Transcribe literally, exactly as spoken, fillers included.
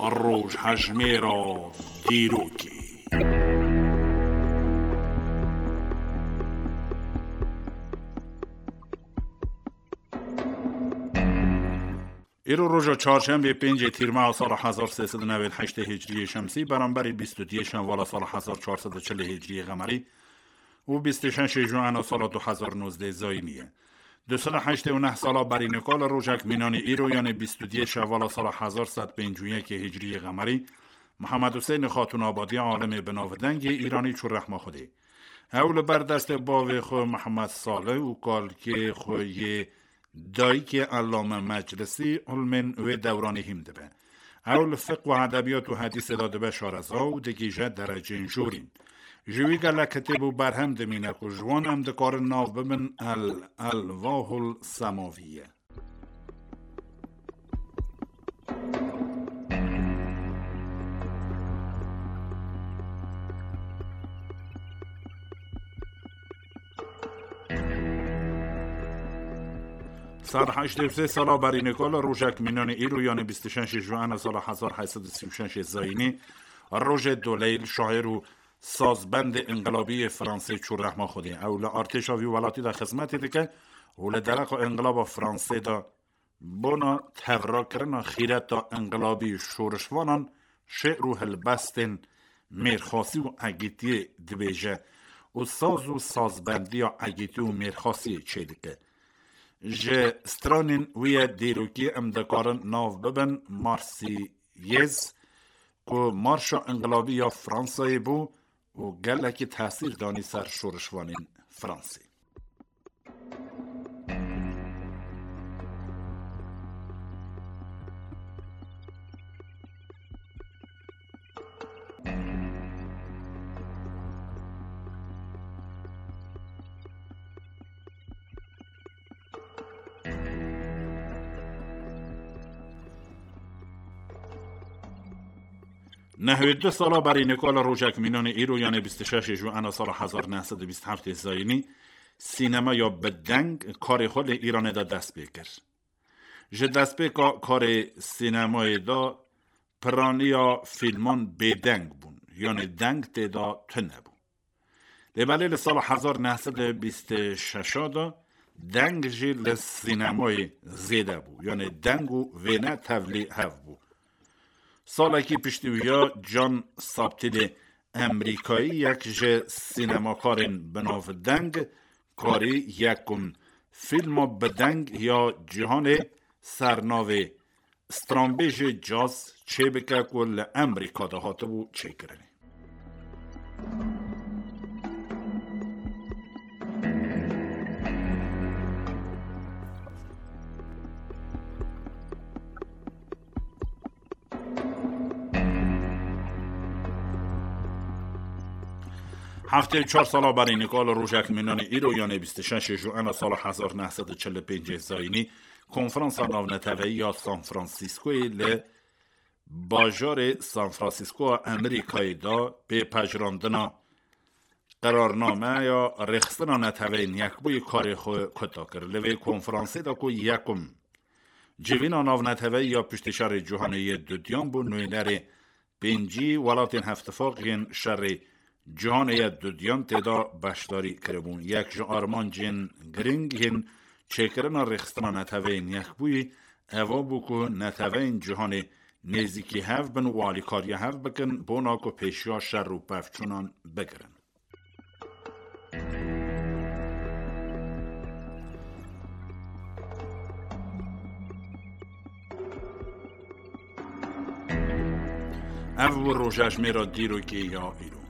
Rojhejmêra dîrokê. Îro roja çarşembê, pêncê Tîrmeha sala hezar sê sed û newêd heştê Hicriyê Şemsî, beramberî bîst û duyê Şenvala sala hezar çar sed û çilê Hicriyê Xemerî û bîst û şeşê Juana sala du hezar nozdeh Zayînî ye. Du sed û heştê û neh sala berî nika li rojek mînanî îro, yanê bîst û duyê Şenvala sala hezar sed pêncî û yekê Hicriyê Xemerî, Mihemed Huseyni Xatûnabadî, alimê binavdengê Îranî, çû rehma Xwedê. Ew li ber destê bavê xwe Mihemed Salih û kalkê xwe yê dayikê Ellame Meclisî ilmên wê dewranî hîm dibe. Ew li fiqh û edebiyat û hedîsê de dibe şareza û digihîje dereceyên jorîn. Ji wî gelek kitêb û berhem dimîne ku ji wan em dikarin nav bibin El Elwahul Semavî ye. Sed heştê û sê sala berî nika li rojek mînanê îro, yanê bîst û şeşê Juana sala hezar heyt sed û sî û şeşê Zayînî, rojê Doleyl, şair û sazbendê înqilabî yê Fransê, çû rehma Xwedê. Ew li artêşa vî welatî de xizmetê dike û li dereqa înqilaba Fransê de bona tevrakirina xîreta înqilabî şorişvanan şê'r û helbestên mêrxasî û egîtiyê dibêje û saz û sazbendiya egîtî û mêrxasiyê çêdike. Ji stranên wî yê dîrokî em dikarin nav bibin Marsîyêz, ku marşa înqilabî ya Fransayê bû û gelekî tesîr danî ser şorişvanên Fransê. Nehwê du sala berî nika li rojek mînanê îro, yanê bîst û şeşê Juana sala hezar neh sed û bîst û heftê Zayînî, sînemeya bi deng karê xwe li Îranê de dest pê kir. Ji destpêka karê sînemayê de piraniya fîlman bêdeng bûn, yanê deng tê de tune bû. Lê belê li sala hezar neh sed û bîst û şeş de deng jî li sînemayê zêde bû, yanê deng û wêne tevlî hev bû. Salekî piştî wî ya John Sabtîlê Emrîkayî, yek ji sînemakarên binavdeng, karî yekum fîlma bi deng ya cîhanê sernavê stranbêjê caz çêbike ku li Emrîka de hatibû çêkirinê. Heftê û çar sala berî nika li rojek mînanê îro, yanê bîst û şeşê Juana sala hezar neh sed û çil û pêncê Zayînî, Konferansa Navneteweyî ya San Franciscoyê li bajarê San Francisco a Amerîkayê de pê pejirandina qerarnameya rêxistina Neteweyên Yekbûyî karê xwe kuta kir. Li vê konferansê de ku yekum civîna navneteweyî ya piştî şerê cîhanê yê dudiyan bû, nûnerê pêncî welatên Hevtifaq yên şerê cîhanê yê dudiyan tê de beşdarî kiribûn. Yek ji armancên girîng yên çêkirina rêxistina Neteweyên Yekbûyî eva bû ku neteweyên cîhanê nêzîkî hev bin û alîkariya hev bikin, bona ku pêşiya şer û pevçûnan bigirin. Ev bû rojejmêra dîrokê ya îro.